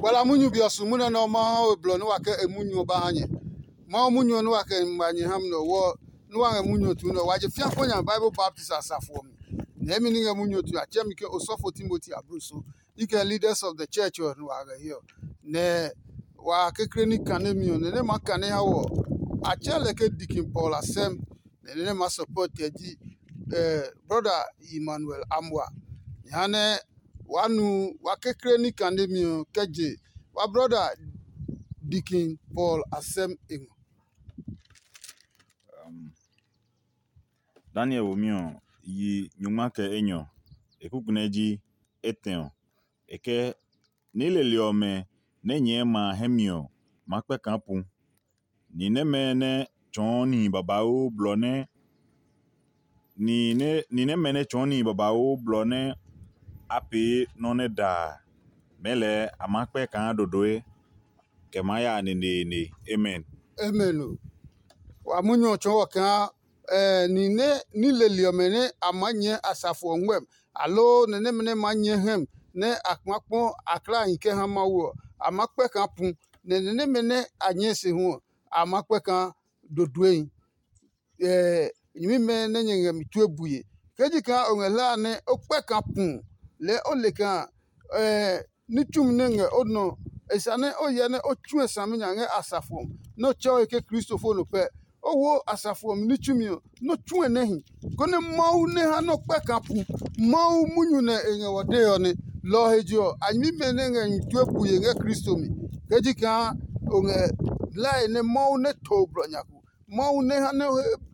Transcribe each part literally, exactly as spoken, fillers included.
Wala munyu bi ɔ su munyu nɛ ɔ Mawu ha we blɔ nɛ wa kɛ e munyu ɔ ba ha nyɛ. Mawu munyu ɔ nɛ wa kɛ ngma nyɛ ha mi nɛ ɔ wɔ nɛ wa ngɛ munyu ɔ tu nɛ ɔ, wa je fia kpa nya Bible baptist asafo ɔ mi. Nɛ emi ní ngɛ munyu ɔ tu a tsɛ mi ke osɔfo Timoti ablusu. I kɛ leaders of the church ɔ nɛ wa ngɛ hiɛ ɔ. Nɛ wa kekle ní kane mi ɔ nɛ nɛ ma kane ha wɔ. A tsɛ lɛ ke Deacon Paul Asɛm. Nɛ nɛ ma support ɛ ji brother Emmanuel Amwa. Jehanɛ wa nu wa kekle ní kane mi ɔ kɛ je wa brother Deacon Paul Asɛm e ngɔ. Daniel womi ɔ yi nyungma kɛ enyɔ, e kuku nɛ ji etɛ ɔ. E kɛ ní leli ɔmɛ nɛ nyɛɛ ma a hɛ mi ɔ maa kpɛ kaa pu. Ni nɛmɛ nɛ tsɔɔ nihi babauu blɔ nɛ ni nɛ ni nɛmɛ nɛ tsɔɔ nihi babauu blɔ nɛ a pee nɔ́ nɛ da a, mɛɛ lɛɛ a maa kpɛ kaa dodoe kɛ maa ya neneene. Amen. Amen o. Wa munyu ɔ tsɔɔ wɔ kaa eh, ni nɛ ní leli ɔmɛ nɛ a maa nyɛɛ asafo ɔ ngmɛm, aloo nɛ nɛmɛ nɛ maa nyɛɛ hɛm nɛ a maa kpɔ a klahi kɛ ha Mawu ɔ, a maa kpɛ kaa pu, nɛ nɛ nɛmɛ nɛ a nyɛɛ se hu ɔ, a maa kpɛ kaa doduehi. Nyɛmimɛ nɛ nyɛ ngɛ mi tue bue. Ke ji kaa o ngɛ hlaa nɛ o kpɛ kaa pu lɛɛ o le kaa ní tsumi nɛ ngɛ o nɔ e sa nɛ o hyɛ nɛ o tsue saminya ngɛ asafo ɔ nɛ o tsɛ o he ke Kristo fo nɔ pɛ. O wo asafo ɔ mi ní tsumi ɔ nɛ o tsue nɛ hi, konɛ Mawu nɛ ha nɛ o kpɛ kaa pu. Mawu munyu nɛ e ngɛ wɔ dee ɔ nɛ. Lɔ ɔ he je ɔ, a nyɛmimɛ nɛ ngɛ nyɛ tue bue ngɛ Kristo mi. Ke ji kaa o ngɛ hlae nɛ Mawu nɛ to blɔ nya ko, Mawu nɛ ha nɛ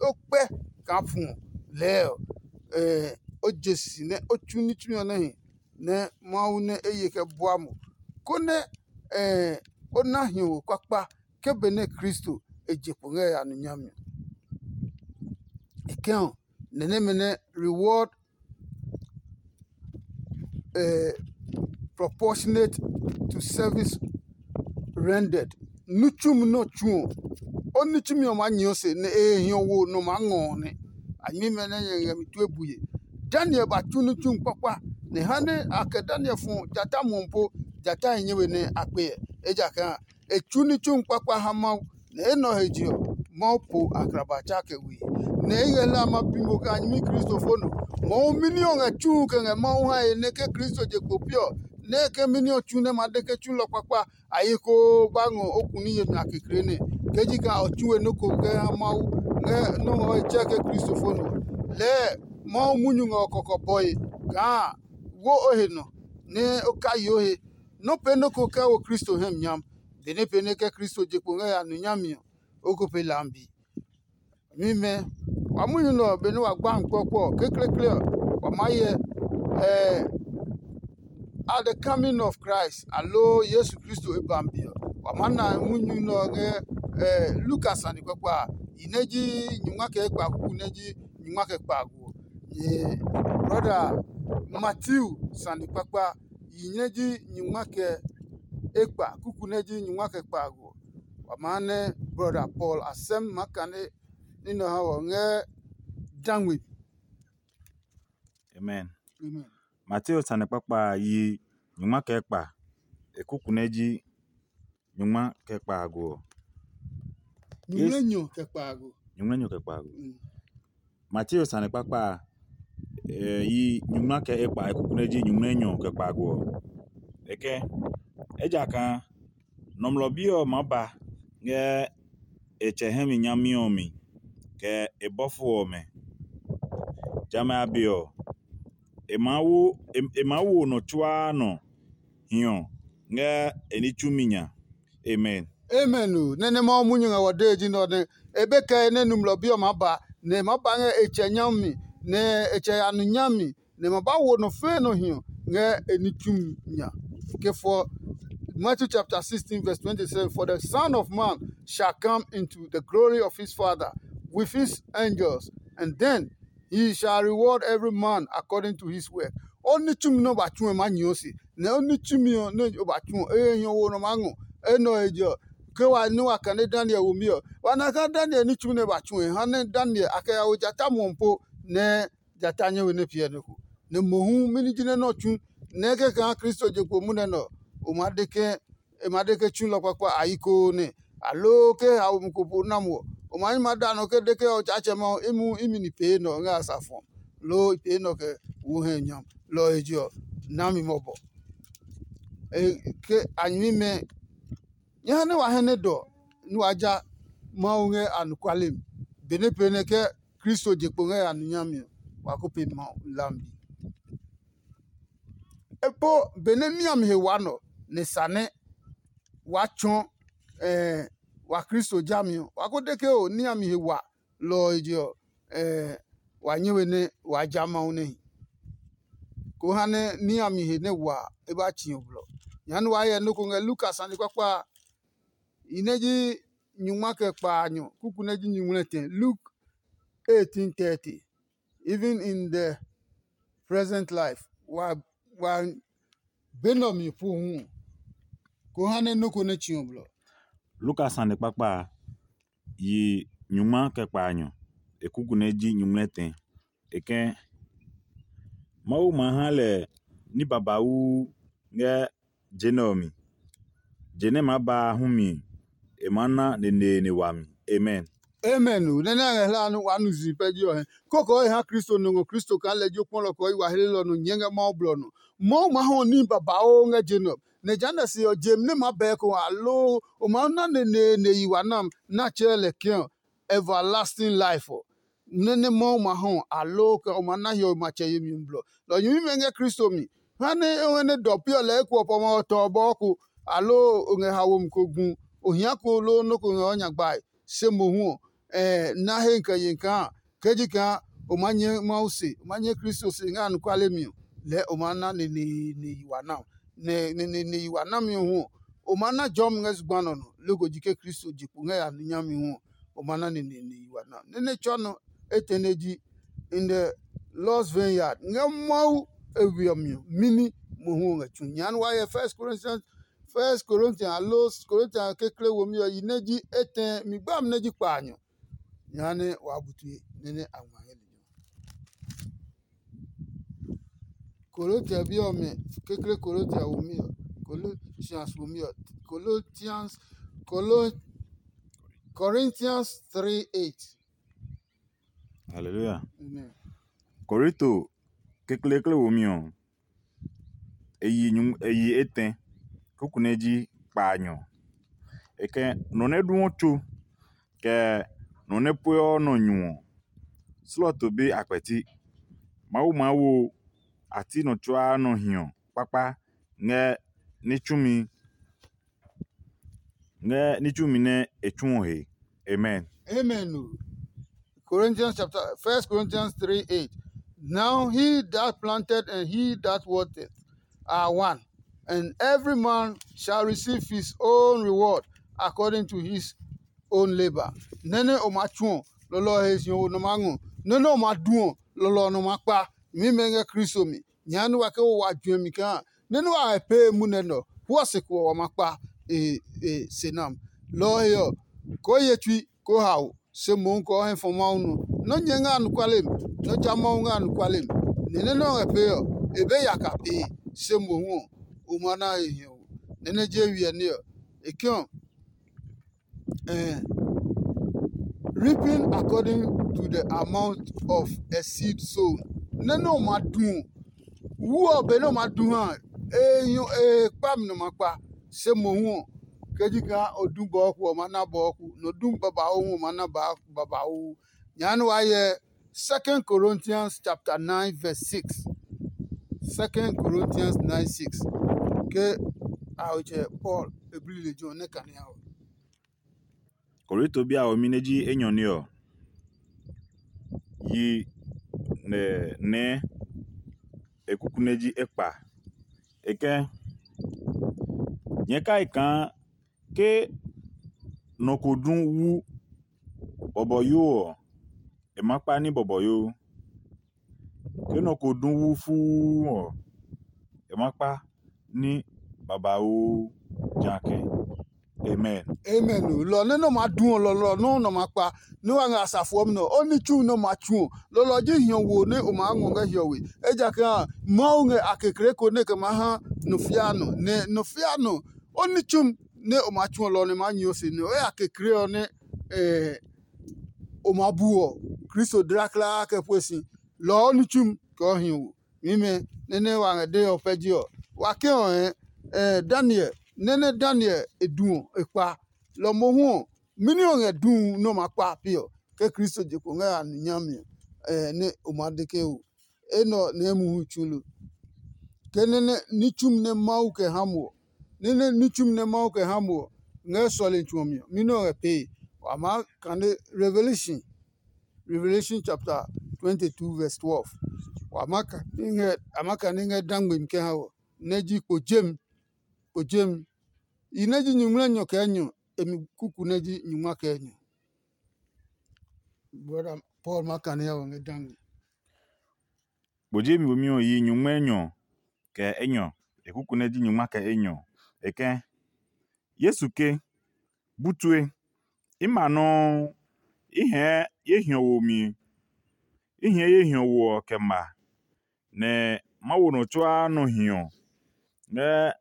o kpɛ kaa fu ɔ lɛɛ ɔ, o je si nɛ o tsu ní tsumi ɔ nɛ hi nɛ Mawu nɛ e ye kɛ bua mo, konɛ o na hiɔwe kpakpa ke benɛ Kristo e je kpo ngɛ ya nɔ nyami ɔ. E kɛ ɔ, nɛ nɛmɛ nɛ reward eh, proportionate to service rendered. Ní tsumi nɛ o tsu ɔ, o ní tsumi ɔ maa nyɛɛ o se nɛ e he hiɔ wo nɔ maa ngɔ ɔ nɛ. A nyɛmimɛ nɛ nyɛ ngɛ mi tue bue. Daniel ba tsu ní tsumi kpakpa, nɛ ha nɛ a kɛ Daniel fɔ jata muɔ po, jata he nyɛwe nɛ a kpe ɛ. Ejakaa e tsu ní tsumi kpakpa ha Mawu, nɛ enɛ ɔ he je ɔ, Mawu po akraba tsa kɛ we. Nɛ i ngɛ hlaa ma bi mo kaa nyɛmi Kristofo nɔ. Mohu mɛni ɔ ngɛ tsuu kɛ ngɛ Mawu hae nɛ ke Kristo je kpo pi ɔ, nɛ ke mɛni ɔ tsu nɛ ma de ke tsulɔ kpakpa a yi koo ba ngɔ o kuni yemi a kekle nɛ? Ke ji kaa o tsu we nɔ́ ko kɛ ha Mawu ngɛ nɔ́ ngɔ e tsɛ ke Kristofo nɔ. Lɛɛ Mawu munyu ngɛ o kɔkɔbɔe kaa wo o he nɔ nɛ o kayi o he. Nɔ́ pee nɔ́ ko kɛ wo Kristo hɛ mi nyam. Benɛ pee nɛ kɛ Kristo je kpo ngɛ ya nu nyami ɔ, o ko pe lambi. Mimɛ, wa munyu nɛ ɔ benɛ wa gba mi kpɔkpɔ ɔ, kekleekle ɔ, wa maa hyɛ at the coming of Christ, aloo Yesu Kristo e ba mi ɔ, wa maa na munyu nɛ ɔ ngɛ Luka sane kpakpa a, yi nɛ ji nyungma kɛ ekpa kuku nɛ ji nyungma kɛ kpaago ɔ. Brɔda Matthew sane kpakpa, yi nɛ ji nyungma kɛ ekpa, kuku nɛ ji nyungma kɛ kpaago ɔ. Wa maa nɛ brɔda Paul asɛm maa kane ní nɔ ha wɔ ngɛ dangwe. Amen. Amen. Mateo sane kpakpa a yi nyungma kɛ ekpa, e kuku nɛ ji nyungma kɛ kpaago ɔ. Nyuŋmlɛnyɔ kɛ kpaago. Nyuŋmlɛnyɔ kɛ kpaago. Mm. Mateo sane kpakpa a, e yi nyungma kɛ ekpa, e kuku nɛ ji nyuŋmlɛnyɔ kɛ kpaago ɔ. E kɛ, ejakaa Nɔmlɔ Bi ɔ maa ba ngɛ e Tsɛ hɛ mi nyami ɔ mi, kɛ e bɔfo ɔmɛ. Jamɛ a be ɔ, e maa wo e maa wo nɔ tsuaa nɔ hiɔ ngɛ e ní tsumi nya. Amen. Amen o. Nɛ nɛ Mawu munyu ngɛ wɔ dee ji nɛ ɔ nɛ e be kɛɛ nɛ Nɔmlɔ Bi ɔ maa ba, nɛ e maa ba ngɛ e Tsɛ nyami, nɛ e Tsɛ ya nu nyami, nɛ e ma ba wo nɔ fɛɛ nɔ hiɔ ngɛ e ní tsumi nya. Ke fɔ Matthew chapter sixteen verse twenty-seven, "For the Son of Man shall come into the glory of his Father with his angels, and then he shall reward every man according to his work." O ní tsumi nɛ o ba tsu ɔ ma nyɛɛ o se, nɛ o ní tsumi ɔ nɛ o ba tsu ɔ, e he hiɔ wo nɔ maa ngɔ. Enɛ ɔ he je ɔ, ke wa ní wa kane Daniel womi ɔ, wa na kaa Daniel ní tsumi nɛ e ba tsu ɔ, e ha nɛ Daniel a kɛ ya wo jata muɔ po nɛ jata nyɛ we nɛ piɛ nɔ ko. Nɛ mohu mɛni ji nɛ nɛ ɔ tsu nɛ kɛ kaa Kristo je kpo munɛ nɛ ɔ, o maa de ke e ma de ke tsulɔ kpakpa a yi koo nɛ, aloo ke haomi ko po na mo ɔ, o ma nyi ma da nɔ ke de ke Otsaatsɛ Mawu imi imi ni pee nɔ ngɛ asafo ɔ, loo i pee nɔ kɛ wo hɛ nyam. Lɔ ɔ he je ɔ, nami mɔbɔ. Ke a nyɛmimɛ, nyɛ ha nɛ wa hɛ nɛ dɔ nɛ wa ja Mawu ngɛ anɔkuale mi, benɛ pee nɛ ke Kristo je kpo ngɛ ya nɔ nyami ɔ, wa ko pe Mawu hlami. E po benɛ niami he wa nɔ nɛ sa nɛ wa tsɔ wa Kristo jami ɔ, wa ko de ke o niami he wa lɔ ɔ je ɔ, wa nyɛ we nɛ wa ja Mawu nɛ hi. Ko ha nɛ niami he nɛ wa e ba tsi ɔ blɔ. Nyɛɛ nɛ wa hyɛ nɔ́ ko ngɛ Luka sane kpakpa a, i nɛ ji nyungma kɛ kpaanyɔ kuku nɛ ji nyuŋmlɛtɛ. Luke eighteen thirty. Even in the present life, wa wa be nɛ ɔ mi pu hu ɔ, ko ha nɛ nɔ́ ko nɛ tsi ɔ blɔ. Luka sane kpakpa a, yi nyungma kɛ kpaanyɔ, e kuku nɛ ji nyuŋmlɛtɛ. E kɛ̃, Mawu ma ha lɛ ní babauu ngɛ je nɛ ɔ mi. Je nɛ maa ba a hu mi, e maa na neneene wami. Amen. Amen o. Nɛ nɛ a ngɛ hlaa nɛ waa nu zi pɛ ji ɔ hɛ. Kókó e ha Kristo nɔ ngɔ Kristo kaa lɛ ji o kpɔlɔ kɛ o yi wa helelɔ nɔ nyɛɛ ngɛ Mawu blɔ nɔ. Mawu maa hɔ ní babauu ngɛ je nɛ ɔ. Nɛ jehanɛ se ɔ, je nɛ maa bɛɛ ko aloo o maa na neneene yi wa nam nɛ a tsɛɛ lɛ kɛ̃ ɔ, everlasting life ɔ. Nɛ nɛ Mawu ma hɔ aloo kɛ o maa na hiɔwe matsɛ yemi ɔ blɔ. Lɔ nyɛmimɛ ngɛ Kristo mi. Ha nɛ o ngɛ nɛ dɔ pi ɔ lɛɛ ekuɔ pɔmɔ ɔ tɔ ɔ bɔɔ ko, aloo o ngɛ haomi ko gu, o hia ko loo nɔ́ ko ngɛ o nya gbae. Se mohu ɔ, na he kɛ ye kaa ke ji kaa o maa nyɛ Mawu se, o maa nyɛ Kristo se ngɛ anɔkuale mi ɔ, lɛɛ o maa na neneene yi wa na. Nɛ neneene yi wa nami ɔ hu ɔ, o maa na jɔmi ngɛ zugba nɔ nɔ, loko ji ke Kristo je kpo ngɛ ya ní nyami hu ɔ, o maa na neneene yi wa na. Nɛ nɛ tsɔ nɔ etɛ nɛ ji in the Lord's vineyard ngɛ Mawu e we ɔ mi ɔ, mini mohu ɔ ngɛ tsu. Nya nɛ wa hyɛ First Corinthians, First Corinthians aloo Corinthians kekle womi ɔ yi nɛ ji etɛ mi gbami nɛ ji kpaanyɔ. Jehanɛ waa bu tue nɛ nɛ a ngma ngɛ lejɛ ɔ. Kolotia bi ɔmɛ kekle Kolotia womi ɔ, Colossians womi ɔ, Colossians, Colo, Corinthians three eight. Hallelujah. Amen. Korinto kekleekle womi ɔ, e yi nyumu e yi etɛ, kuku nɛ ji kpaanyɔ. E kɛ nɔ nɛ duɔ tso, kɛ nɔ nɛ pueɔ nɔ nyu ɔ, slɔto be a kpɛti. Mawu maa wo a ti nɔ tsuaa nɔ hiɔ kpakpa ngɛ ní tsumi ngɛ ní tsumi nɛ e tsu ɔ he. Amen. Amen o. Corinthians chapter, First Corinthians three eight. Now he that planted and he that watered are one, and every man shall receive his own reward according to his own labor. Nene o ma tsuɔ, lɔlɔ he si o nɔ ma ngɔ. Nene o ma duɔ, lɔlɔ nɔ ma kpa. Mi mɛ ngɛ Kristo mi. Nya ni wa ke wo wa juɛ mi kaa. Nene wa he pee mu nɛ nɔ. Huɔ se ko wa ma kpa e e se nam. Lɔ he ɔ, ko ye tsui ko hao, se mohu kɛ o hɛ fɔ Mawu nɔ. Nɔ́ nyɛ ngɛ anɔkuale mi, nɔ́ tsa Mawu ngɛ anɔkuale mi. Ni nɛ nɛ o ngɛ pee ɔ, e be yaka pee, se mohu ɔ, o ma na he hiɔwo. Nɛ nɛ je wiɛ ní ɔ, e ke ɔ, eh, reaping according to the amount of a seed sown. Nɛ nɛ o ma du ɔ, wu ɔ benɛ o ma du ha ɔ, e nyɔ e kpa mi nɔ ma kpa, se mohu ɔ, ke ji kaa o du bɔɔku ɔ ma na bɔɔku, nɔ du babauu hu ɔ ma na babauu. Nya nɛ waa hyɛ Second Corinthians chapter nine verse six. Second Corinthians nine six. Ke a ɔ tsɛ Paul e bli lejɛ ɔ nɛ kane a ɔ. Korinto bi a womi nɛ ji enyɔ ní ɔ, yi nɛ nɛɛ e kuku nɛ ji ekpa. E kɛ̃, nyɛɛ kai kaa ke nɔ ko du wu bɔbɔyo ɔ, e ma kpa ní bɔbɔyo. Ke nɔ ko du wu fuu ɔ, e ma kpa ní babauu jakɛ. Amen. Amen o. Lɔ nɛ nɔ ma du ɔ, lɔlɔ nɔuu nɔ ma kpa, nɛ wa ngɛ asafo ɔ mi nɔ. O ní tsu nɛ o ma tsu ɔ, lɔlɔ ji hiɔwo nɛ o maa ngɔ ngɛ hiɔwe. Ejakaa Mawu ngɛ a kekle ko nɛ e kɛ maa ha nɔ fia nɔ, nɛ nɔ fia nɔ O ní tsumi nɛ o maa tsuɔ lɔ ɔ nɛ maa nyi o se nɛ o ya kekle ɔ nɛ o maa bu ɔ, Kristo dlaklaa kɛ pue si. Lɔ ɔ ní tsumi kɛ o hi ɔ wo. Mimɛ nɛ nɛ wa ngɛ dee ɔ pɛ ji ɔ, wa ke ɔ hɛ Daniel nɛ nɛ Daniel e du ɔ e kpa. Lɔ mohu ɔ, mɛni ɔ ngɛ du nɛ o maa kpa pi ɔ? Ke Kristo je kpo ngɛ a nuu nyami ɔ, nɛ o maa de ke o, enɛ ɔ nɛ muhu tsu lo. Ke nɛ nɛ ní tsumi nɛ Mawu kɛ ha mo ɔ, nɛ nɛ ní tsumi nɛ Mawu kɛ ha mo ɔ ngɛ sɔlemi tsu ɔ mi ɔ, mɛni ɔ ngɛ pee? Wa maa kane Revelation, Revelation chapter twenty-two verse twelve. Wa maa kane ngɛ a maa kane ngɛ dangmemi kɛ ha wɔ, nɛ ji kpo jemi, kpo jemi. I nɛ ji nyuŋmlɛ nyɔ kɛ enyɔ, e mi kuku nɛ ji nyungma kɛ enyɔ. Brother Paul ma kane ya wɔ ngɛ dangi. Kpo jemi womi ɔ yi nyungma enyɔ kɛ enyɔ, e kuku nɛ ji nyungma kɛ enyɔ. E kɛ, Yesu ke, bu tue, i ma nɔuu, i hɛɛ ye hiɔ wo mi, i hɛɛ ye hiɔ wo ɔ kɛ ma, nɛ ma wo nɔ tsuaa nɔ hiɔ ngɛ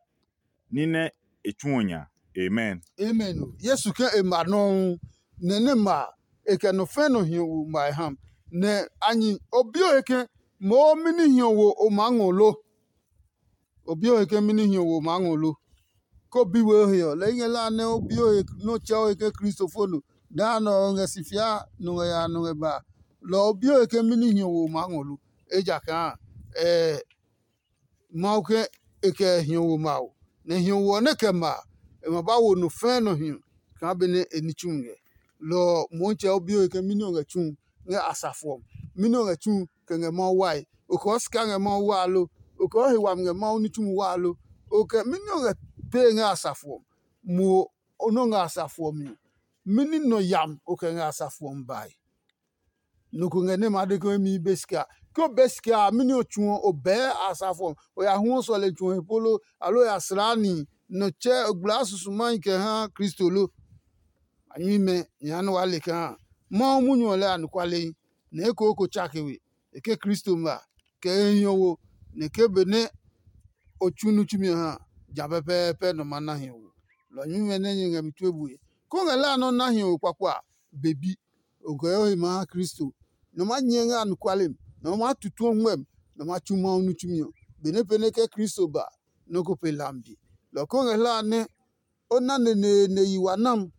ní nɛ e tsuɔ nya. Amen. Amen. Yesu ke e ma nɔuu, nɛ nɛ ma a, e kɛ nɔ fɛ̃ nɔ hiɔ wo ma e ha. Nɛ a nyi o bi o he ke, moo mɛni hiɔ wo o maa ngɔ lo? O bi o he ke mɛni hiɔ wo o maa ngɔ lo? Ko bi we o he ɔ, lɛ i ngɛ la nɛ o bi o he nɛ o tsɛ o he ke Kristo fo no. Daa nɛ ɔ ngɛ si fia nɔ ngɛ ya nɔ ngɛ ba. Lɔ ɔ bi o he ke mɛni hiɔ wo o maa ngɔ lo? Ejakaa ɛɛ Mawu ke e kɛ hiɔ wo mawo, nɛ hiɔ wo ɔ nɛ kɛ ma a, e ma ba wo nɔ fɛɛ nɔ hiɔ kaa benɛ e ní tsumi ngɛ. Lɔ ɔ Motsɛ o bi o he ke mɛni o ngɛ tsu ngɛ asafo ɔ mi? Mɛni o ngɛ tsu kɛ ngɛ Mawu wae? O kɛɔ sika ngɛ Mawu waa lo? O kɛɔ he wami ngɛ Mawu ní tsumi waa lo? O kɛ mɛni o ngɛ pee ngɛ asafo ɔ? Mo o nɔ ngɛ asafo ɔ mi ɔ, mɛni nɔ yami o kɛ ngɛ asafo ɔ mi bae? Nɔ ko ngɛ nɛ ma de ke o mi be sika. Ke o be sika a, mɛni o tsuɔ o bɛɛ asafo ɔ? O ya huɔ sɔlemi tsuɔ he polo, aloo o ya slaa nihi nɔ tsɛ o gblaa susumai kɛ ha Kristo lo? A nyuimɛ nyɛ ha nɛ waa le kaa Mawu munyu ɔ lɛ anɔkualehi, nɛ ekooko tsake we. E ke Kristo ma, kɛ e hiɔ wo, nɛ ke benɛ o tsu ní tsumi ɔ ha a, ja pɛpɛɛpɛ nɔ ma na hiɔ wo. Lɔ nyuimɛ nɛ nyɛ ngɛ mi tue bue. Kó ngɛ la nɔ́ na hiɔ wo kpakpa a, be bi. O ngɛ o he ma ha Kristo. Nɔ ma nyɛ ngɛ anɔkuale mi, nɔ ma tutu o ngmɛmi, nɔ ma tsu Mawu ní tsumi ɔ. Benɛ pɛ nɛ ke Kristo ba, nɔ́ ko pe hlami bi. Lɔ ko ngɛ hla a nɛ o na neneene yi wa nam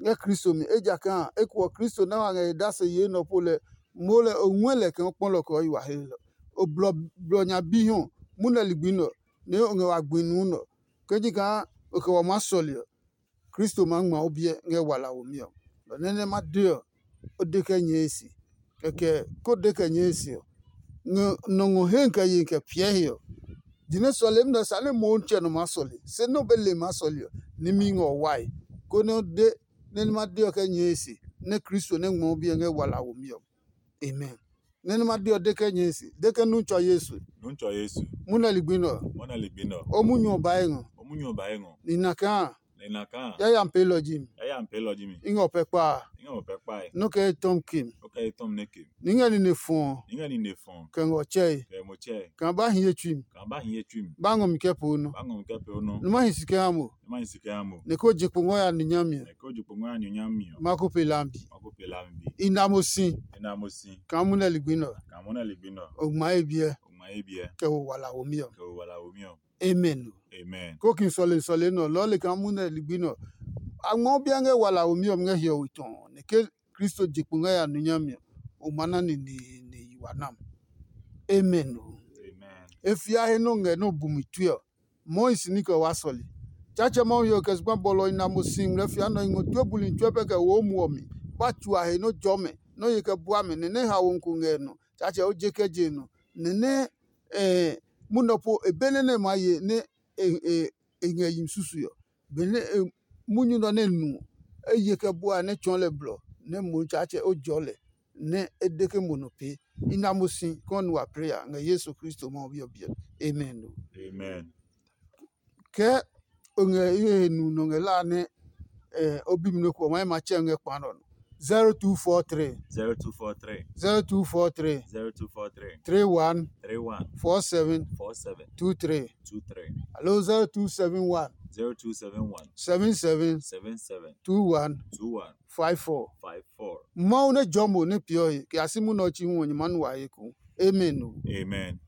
ngɛ Kristo mi, ejakaa eko ɔ Kristo nɛ wa ngɛ he dase yee nɔ po lɛ moo lɛ o ngɔɛ lɛ kaa o kpɔ lɔ kɛ o yi wa he lɔ. O blɔ blɔ nya bi hɔ, munɛ ligbi nɛ ɔ, nɛ o ngɛ wa gbi nuu nɛ ɔ. Ke ji kaa o kɛ wa maa sɔle ɔ, Kristo maa ngma o biɛ ngɛ wala womi ɔ. Lɔ nɛ nɛ ma de ɔ, o de kɛ nyɛɛ e se. Kɛkɛ ko de kɛ nyɛɛ e se ɔ, ngɛ nɔ ngɔ he kɛ ye kɛ piɛ he ɔ, jinɛ sɔlemi nɛ sane mohu tsɛ nɔ maa sɔle, se nɛ o be le maa sɔle ɔ, nimi ngɛ o wae, konɛ o de nɛ nɛ ma de ɔ kɛ nyɛɛ e se, nɛ Kristo nɛ ngmɔ o biɛ ngɛ wala womi ɔ. Amen. Nɛ nɛ ma de ɔ de kɛ nyɛɛ e se, de ke nu tsɔ Yesu. Nu tsɔ Yesu. Munɛ ligbi nɛ ɔ, Mɔna ligbi nɔ. O munyu ɔ ba e ngɔ. O munyu ɔ ba e ngɔ. Ni na kaa Nɛ na kaa yayami peelɔ ji mi. Yayami peelɔ ji mi. I ngɛ o pɛ kpa a. I ngɛ o pɛ kpae. Nɔ kɛ etɔm ke mi. O kɛ etɔm ne ke. Ni ngɛ nine fɔɔ. Ni ngɛ nine fɔɔ. Kɛ ngɔ tsɛe. Kɛ mo tsɛ. Kaa ba hi ye tsui mi. Kaa ba hi ye tsui mi. Ba ngɔ mi kɛ po nɔ. Ba ngɔ mi kɛ po nɔ. Numa hi si kɛ ha mo. Numa hi si kɛ ha mo. Nɛ ko je kpo ngɔ ya ni nyami ɔ. Nɛ ko je kpo ngɔ ya ni nyami ɔ. Ma ko pe lambi. Ma ko pe lambi. I na mo si. I na mo si. Kaa mu nɛ ligbi nɔ. Kaa mu nɛ ligbi nɔ. O ngma ye biɛ. O ngma ye biɛ. Kɛ wo wala womi ɔ. Kɛ wo wala womi ɔ. Amen. Amen. Ko kin sɔle sɔle nɔ lɔɔ le kaa mu nɛ ligbi nɔ. A ngmɔ bia ngɛ wala womi ɔ ngɛ hiɔwe tɔ nɛ ke Kristo je kpo ngɛ ya nu nyami ɔ, o ma na neneene yi wa nam. Amen o. Amen. E fia he nɔ ngɛ nɔ bumi tue ɔ, Mois ní kɛ wa sɔle. Tsaatsɛ Mawu he ɔ kɛ zugba bɔlɔ i na mo si ngmlɛ fia nɔ i ngɔ tue buli tsuɛ pɛ kɛ wo o muɔ mi. Ba tsu a he nɔ jɔ mɛ, nɔ ye kɛ bua mɛ nɛ nɛ haomi ko ngɛ nɔ. Tsaatsɛ o je kɛ je nɔ. Nɛ nɛ eh, munɔ po e be nɛ nɛ ma ye nɛ e e e ngɛ yi susu ɔ. Benɛ e munyu nɔ nɛ nu ɔ, e ye kɛ bua nɛ tsɔɔ lɛ blɔ nɛ mo Tsaatsɛ o jɔɔ lɛ nɛ e de ke mo nɔ pee. I na mo si kɔɔ nu wa plee a ngɛ Yesu Kristo Mawu bi ɔ biɛ. Amen o. Amen. Kɛ o ngɛ i he nu nɔ ngɛ la nɛ eh, o bi mi nɔ ko ɔ, ma ye ma tsɛ ngɛ kpa nɔ nɔ. zero two four three, zero two four three, zero two four three, zero two four three, three one three one four seven four seven two three. two three. Hello, zero two seven one zero two seven one seven seven seven seven two one two one five four. five four. Mawu nɛ jɔ mo nɛ piɔ he kɛ a si munɛ ɔ chi hu ɔ nyɛ ma nu wa he ko. Amen o. Amen.